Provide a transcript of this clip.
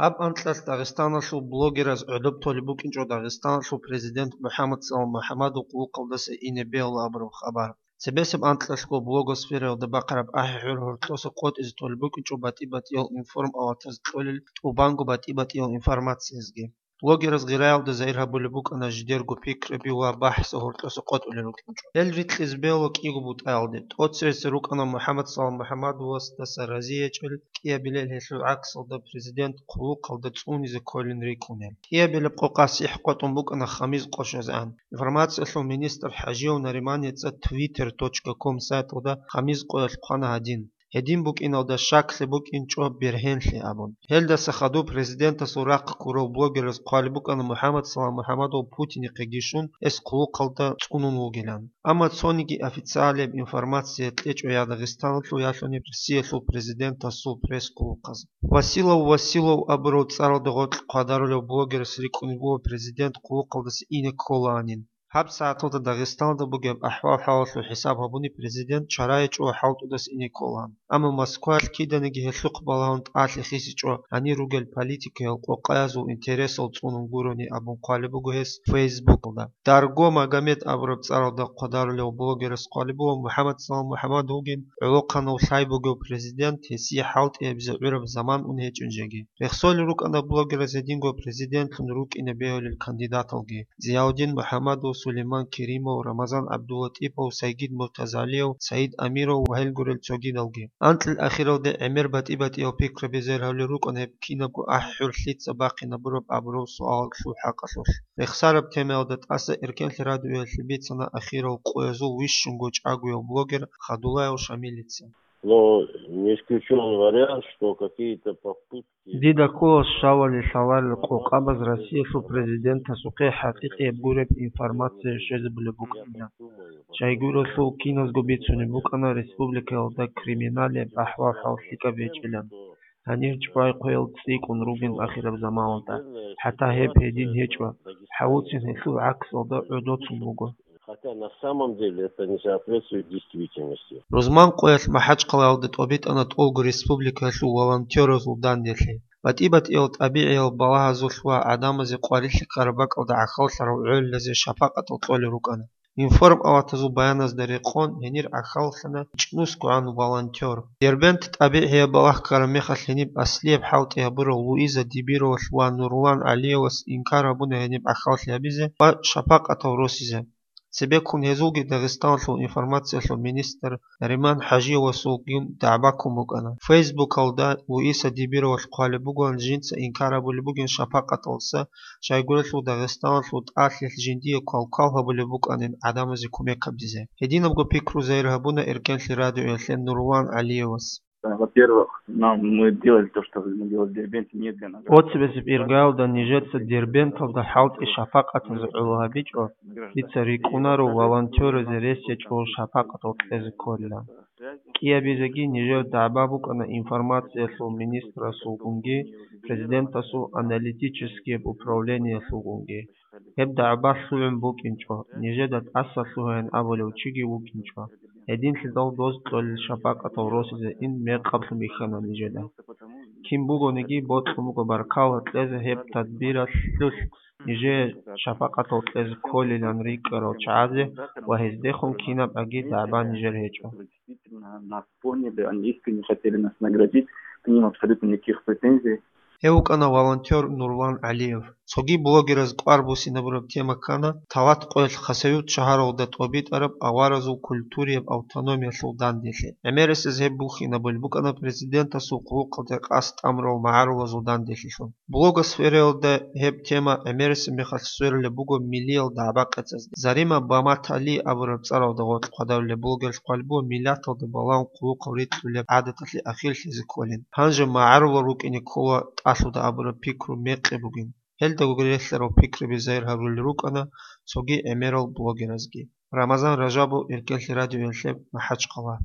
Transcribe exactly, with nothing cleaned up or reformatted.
Гьаб анкьалъ Дагъистаналъул блогераз гӀодоб толеб букӀинчӀо Дагъистаналъул президент МухӀаммад Салам МухӀаммадов къулухъалдаса ине бегьула абураб хабар. Цебесеб анкьалъго блогосфераялда бахъараб ахӀи-хӀур гьоркьоса къотӀизе толеб букӀинчӀо батӀи-батӀиял информ-аватаз кьолел тӀубанго батӀи-батӀиял информациязги. Блогераз гъираялда загьир гьабулеб букӀана жидерго пикраби ва бахӀса гьоркьоса къотӀулел рукӀинчӀо. Гьел рикьизе бегьула кӀиго бутӀаялде. ТӀоцересел рукӀана МухӀаммад Салам МухӀаммадовасдаса разиячӀел, кӀиабилел гьелъул гӀаксалда президент хъулухъалда цӀунизе кколин рикӀкӀунел. КӀиабилеб къо къасихӀ къотӀун букӀана хамиз къо щвезегӀан. Информациялъул министр ХӀажиев Нариман ГьецӀа twitter точка com сайталда хамиз къоялъ хъвана гьадин: «Гьедин букӀиналда щаклъи букӀинчӀо бергьенлъи», – абун. Гьелдаса хадуб президентасул рахъ ккурав блогераз хъвалеб букӀана МухӀаммад Салам МухӀаммадов Путинихъеги щун, гьес хъулухъалда цӀунун вугилан. Амма цониги официалияб информация кьечӀо я Дагъистаналъул, я лъуни Россиялъул президентасул пресс-хъулухъаз. Василов Василов абурав цӀаралда гъоркь хъвадарулев блогерас рикӀкӀунеб буго президент хъулухъалдаса ине кколаанин. Гьаб сагӀаталда Дагъистаналда бугеб ахӀвал-хӀалалъул хӀисаб гьабуни президент чарайичӀо хӀалтӀудас ине кколаан. Амма Москваялъ киданиги гьелъухъ балагьун тӀалъи хисичӀо гьанир ругел политикаял къокъаязул интересал цӀунун гурони абун хъвалеб буго гьес Фейсбукалда. Дарго Магомед абураб цӀаралда хъвадарулев блогерас хъвалеб буго МухӀаммад Салам МухӀаммад вугин гӀолохъанав лъай бугев президент гьесие хӀалтӀи гьабизе гӀураб заман ун гьечӀин жеги. Рехсолел рукӀана блогераз гьединго президентлъун рукӀине бегьулел кандидаталги: Зияудин МухӀаммадов, Сулейман Керимов, Рамазан ГӀабдулатӀипов, Сайгид Муртазалиев, Саид Амиров ва гьел гурел цогидалги. Анкьил ахиралде гӀемер батӀи-батӀиял пикраби загьир гьабулел рукӀана гьеб кинабго ахӀи-хӀур лъица бахъинабураб абураб суалалъул хӀакъалъулъ. Рехсараб темаялда тӀаса Эркенлъи радиоялъе бицана ахирал къоязул вищунго чӀагояв блогер Хадулаев Шамилица. Но не исключен вариант, что какие-то попытки... Дида ккола щвалел лъаларел къокъабаз Россиялъул президентасухъе хӀакъикъияб гуреб информация щвезабулеб букӀинилан. Щайгурелъул киназго бицунеб букӀана республикаялда криминалияб ахӀвал-хӀал лъикӀаб гьечӀилан. Гьанир чӀвай-хъвел цӀикӀкӀун ругин ахираб заманалда, хӀатта гьеб гьедин гьечӀо, гьавуцин гьелъул гӀаксалда гӀодоцун буго. Хотя на самом деле это не соответствует действительности. Рузман къоялъ МахӀачхъалаялда тӀобитӀана тӀолго республикаялъул волонтеразул данделъи. БатӀи-батӀиял тӀабигӀиял балагьазулъ ва гӀадамазе къварилъи ккараб бакӀалда гӀахьаллъарал гӀолилазе шапакъатал кьолел рукӀана. Информ-аватазул баяназда рекъон, гьенир гӀахьаллъана чӀнусгогӀан волонтер. Дербент тӀабигӀияб балагь ккараб мехалъ гьениб аслияб хӀалтӀи гьабурав Луиза Дибировалъ ва Нурлан ГӀалиевас инкар гьабуна гьениб гӀахьаллъи гьабизе ва шапакъатал росизе. Цебеккун гьезулги Дагъистаналъул информациялъул министр Нариман ХӀажиевасулгун дагӀба ккун букӀана. Фейсбукалда Луиза Дибировалъ хъвалеб бугоан жинца инкар гьабулеб бугин шапакъаталдаса, щайгурелъул Дагъистаналъул тӀалъилъ жиндие квалквал гьабулеб букӀанин гӀадамазе кумек гьабизе. Гьединабго пикру загьир гьабуна Эркенлъи радиоялъе Нурлан ГӀалиевас. Во-первых, нам, мы делали то, что мы делали в Дербенте, не для награды. Оцебесеб иргаялда нижеца Дербенталда хӀалтӀи шапакъатазе гӀоло гьабичӀо, дица рикӀкӀунаро волонтеразе рес гьечӀого шапакъатал кьезе кколилан. КӀиабизеги нижер дагӀба букӀана информациялъул министрасулгунги, президентасул аналитическияб управлениялъулгунги. Гьеб дагӀба лъугӀун букӀинчӀо, нижеда тӀаса лъугьаян абулев чиги вукӀинчӀо. Гьединлъидал доз кьолел шапакъатал росизе ин мекъаблъун бихьана нижеда. Кин бугониги бокьун буго баркала кьезе гьеб тадбиралъулъ нижее шапакъатал кьезе кколилан рикӀкӀарал чагӀазе ва гьездехун кинаб аги дагӀба нижер гьечӀо. Действительно нас поняли, они искренне хотели нас наградить, к ним абсолютно никаких претензий. Гьев вукӀана волонтер Нурлан ГӀалиев. Цоги блогераз кӀвар буссинабураб тема ккана Талат къоялъ Хасавюрт шагьаралда тӀобитӀараб аваразул культурияб автономиялъул данделъи. ГӀемерисез гьеб бухьинабулеб букӀана президентасул хъулухъалде къасд тӀамурал магӀарулазул данделъилъун. Блогосфераялда гьеб тема гӀемерисеб мехалъ сверулеб буго миллиял дагӀба къецазде. Зарима Баматали абураб цӀаралда гъоркь хъвадарулеб блогерлъ хъвалеб буго миллаталда балагьун хъулухъал рикьулеб гӀадаталъе ахирлъизе кколин. Гьанже магӀарулал рукӀине ккола тӀалъуда абураб пикру мекъи бугин. Гьелдаго релълъарал пикруби загьир гьарулел рукӀана цоги гӀемерал блогеразги. Рамазан Ражабов, Эркенлъи радиоялъе, МахӀачхъала.